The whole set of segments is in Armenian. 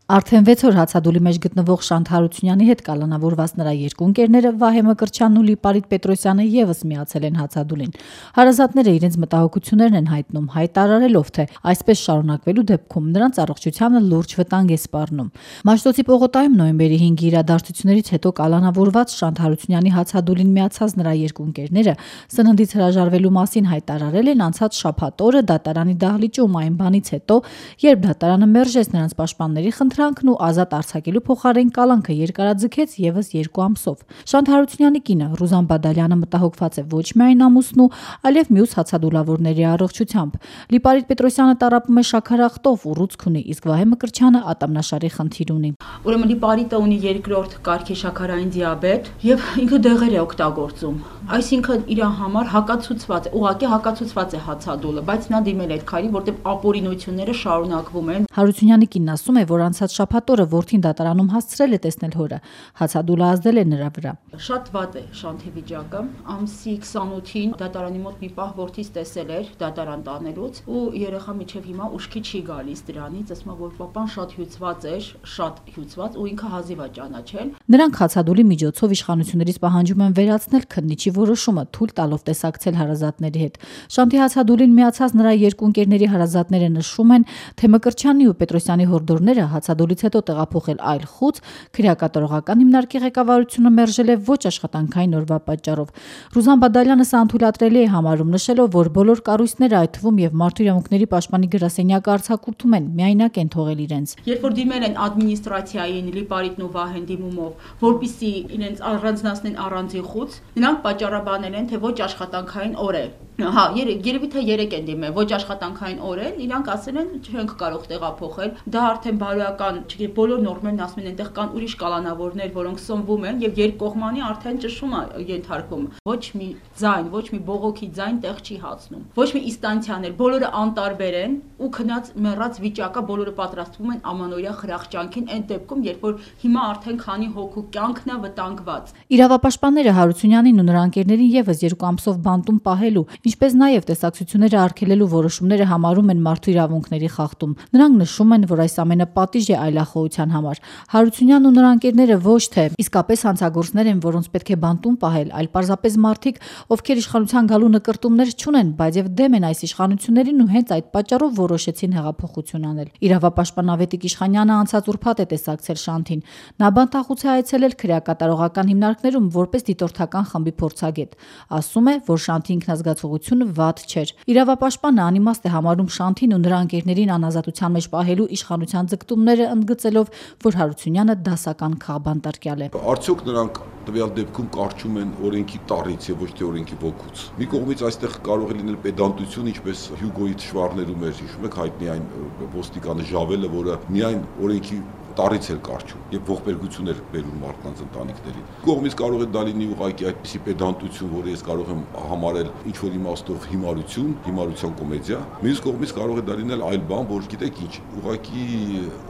Արդեն 6 օր հացադուլի մեջ գտնվող Շանթ Հարությունյանի հետ կալանավորված նրա երկու ընկերները Վահե Մկրտչյանն ու Լիպարիտ Պետրոսյանը եւս միացել են հացադուլին։ Հարազատները իրենց մտահոգություններն են հայտնում, հայտարարելով, թե այսպես շարունակվելու դեպքում նրանց առողջությանը լուրջ վտանգ է սպառնում։ Մաշտոցի պողոտայում նոյեմբերի 5-ի իրադարձություններից հետո կալանավորված Շանթ Հարությունյանի հացադուլին միացած նրա երկու ընկերները սննդից հրաժարվելու մասին հայտարարել են անցած շաբաթ օրը դատարանի դահլիճում այն բանից հետո, երբ դատարանը մերժեց նրանց պաշտպանների խնդրանքն ու ազատ արձակելու փոխարեն կալանքը երկարաձգեց եւս 2 ամսով։ Շանթ Հարությունյանի կինը Ռուզան Բադալյանը մտահոգված է ոչ միայն ամուսնու, այլև մյուս հացադուլավորների առողջությամբ։ Լիպարիտ Պետրոսյանը տառապում է շաքարախտով ու ռուցք ունի, իսկ Վահե Մկրտչյանը ատամնաշարի խնդիր ունի։ Ուրեմն Լիպարիտը ունի 2-րդ կարգի շաքարային դիաբետ եւ ինքը դեղեր է օգտագործում։ Այսինքն իր համար հակացուցված է, ուղղակի հակացուցված է հացադուլը, բայց նա դիմել է այդ քայլին, որտեղ ապօրինությունները շարունակվում են։ Հարությունյանի կինն ասում է, որ անցած շաբաթ օրը որդին դատարանում հասցրել է տեսնել հորը, հացադուլը ազդել է նրա վրա։ Շատ վատ է Շանթի վիճակը, ամսի 28-ին դատարանի մոտ մի պահ որդից տեսել էր դատարան տանելուց ու երեխա միջև հիմա ուշքի չի գալիս դրանից, ասում է, որ պապան շատ հյուծված էր, շատ հյուծված ու ինքը հազիվ է ճանաչել։ Նրանք հացադուլի միջոցով իշխանություններից պահանջում են վերացնել քննիչի որոշումը, թույլ տալով տեսակցել հարազատների հետ։ Շանթի հացադուլին միացած նրա երկու ընկերների հարազատները նշում են, թե Մկրտչյանի ու Պետրոսյանի հորդորները հացադուլից հետո տեղափոխել այլ խուց քրեակատարողական հիմնարկի ղեկավարությունը մերժել է ոչ աշխատանքային օրվա պատճառով։ Ռուզան Բադալյանը սա անթույլատրելի է համարում, նշելով, որ բոլոր կառույցները, այդ թվում եւ Մարդու իրավունքների պաշտպանի գրասենյակը արձակուրդում են, միայնակ են թողել իրենց։ Երբ որ դիմել են ադմինիստրացիային Լիպարիտն ու Վահեն դիմումով, որպեսզի իրենց առանձնացնեն առանձին խուց, նրանք պատճառաբանել են, թե ոչ աշխատանքային օր է։ Հա, երևի թե 3 են դիմել, ոչ աշխատանքային օր են, իրանք ասել են չենք կարող տեղափոխել, դա արդեն բարոյական, չգիտեմ, բոլոր նորմերն ասում են, այնտեղ կան ուրիշ կալանավորներ, որոնք սնվում են եւ երկկողմանի արդեն ճշում է ենթարկվում։ Ոչ մի ձայն, ոչ մի բողոքի ձայն տեղ չի հացնում։ Ոչ մի ինստանցիաներ, բոլորը անտարբեր են ու քնած մեռած վիճակը, բոլորը պատրաստվում են ամանորյա խրախճանքին այն դեպքում, երբ որ հիմա արդեն քանի հոգու կյանքն է վտանգված։ Իրավապաշտպանները Հարությունյանին ու նրա ընկերներին եւս 2 ամսով բանտում պահելու, ինչպես նաև տեսակցությունները արգելելու որոշումները համարում են մարդու իրավունքների խախտում։ Նրանք նշում են, որ այս ամենը պատիժ է այլախոհության համար։ Հարությունյանն ու նրա ընկերները ոչ թե իսկապես հանցագործներ են, որոնց պետք է բանտում պահել, այլ պարզապես մարդիկ, ովքեր իշխանության գալու նկրտումներ չունեն, բայց եւ դեմ են այս իշխանություններին ու հենց այդ պատճառով որոշեցին հեղափոխություն անել։ Իրավապաշտպան Ավետիք Իշխանյանը անցած ուրբաթ է տեսակցել Շանթին։ Նա բանտախուց է այցելել քրեակատարողական հիմնարկներում որպես դիտորդական խմբի փորձագետ։ Ասում է, որ Շանթի ինքնազգացողությունը վատ չէր։ Իրավապաշտպանը անիմաստ է համարում Շանթին ու նրա ընկերներին անազատության մեջ պահելու իշխանության ձգտումները, ընդգծելով, որ Հարությունյանը դասական քաղբանտարկյալ է։ Արդյոք նրանք տվյալ դեպքում կարճում են օրենքի տառից եւ ոչ թե օրենքի ոգուց։ Մի կողմից այստեղ կարող է լինել պետանտություն, ինչպես Հյուգոյի թշվառներում էր, հիշում եք, հայտնի այն ոստիկանը Ժավելը, որը միայն օրենքի տարից էր կարճում եւ ողբերգություն էր բերում մարդկանց ընտանիքներին։ Կողմից կարող է դա լինի ուղղակի այդպիսի պետանտություն, որը ես կարող եմ համարել ինչ որ իմաստով հիմարություն, հիմարության կոմեդիա։ Մյուս կողմից կարող է դա լինել այլ բան, որ գիտեք ինչ, ուղղակի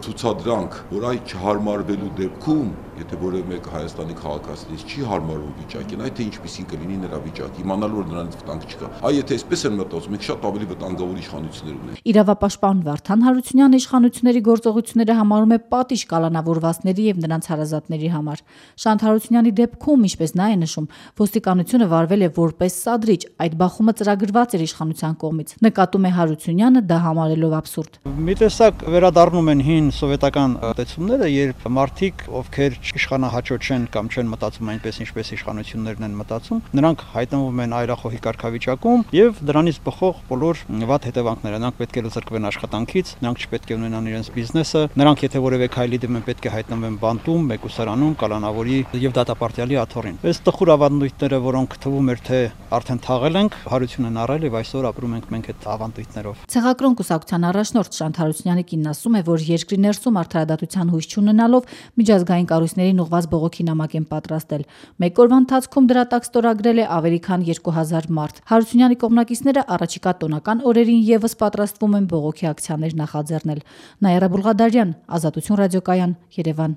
ցուցադրանք, որ այ չհարմարվելու դեպքում, եթե որևէ մեկ Հայաստանի քաղաքացիներից չի հարմարվում վիճակին, այդ թե ինչպեսին կլինի նրա վիճակը, իմանալու որ նրանից վտանգ չկա։ Այ եթե այսպես են մտածում, մենք շատ ավելի վտանգավոր իշխանություններ ունենք։ Իրավապաշտպան Վարդան Հարությունյանը իշխանությունների գործողությունները համարում է պատիժ կալանավորվածների եւ նրանց հարազատների համար։ Շանթ Հարությունյանի դեպքում, ինչպես նա է նշում, ոստիկանությունը վարվել է որպես սադրիչ, այդ բախումը ծրագրված էր իշխանության կողմից։ Նկատում է Հարությունյանը, դա համարելով абսուրդ։ Մի տեսակ վերադառնում են հին սովետական տեսումները, երբ մարդիկ, ովքեր իշխանահաճո չեն կամ չեն մտածում այնպես, ինչպես իշխանություններն են մտածում, նրանք հայտնվում են այրախոհի կարգավիճակում եւ դրանից բխող բոլոր վատ հետևանքները։ Նրանք պետք է լծրկվեն աշխատանքից, նրանք չպետք է ունենան իրենց բիզնեսը, նրանք եթե որևէ քայլի դեմ պետք է հայտնվեն բանտում, մեկուսարանում, կալանավորի եւ դատապարտյալի աթոռին։ Այս տխուր ավանդույթները, որոնք թվում էր թե արդեն թաղել ենք, Հարություն են առել եւ այսօր ապրում ենք մենք այդ ավանդույթներով։ Ցեղակրոն կուսակցության առաջնորդ Շանթ Հարությունյանի կինն ասում է, որ երկրի ներսում արդարադատության հույս չունենալով միջազգային կառույցներին ուղղված բողոքի նամակ են պատրաստել։ Մեկ օրվա ընթացքում դրա տակ ստորագրել է ավելի քան 2000 մարդ։ Հարությունյանի կողմնակիցները առաջիկա տոնական օրերին եւս պատրաստվում են բողոքի ակցիաներ նախաձեռնել։ Նաիրա Բուլղադարյան, Ազատություն ռադիոկայան, Երևան։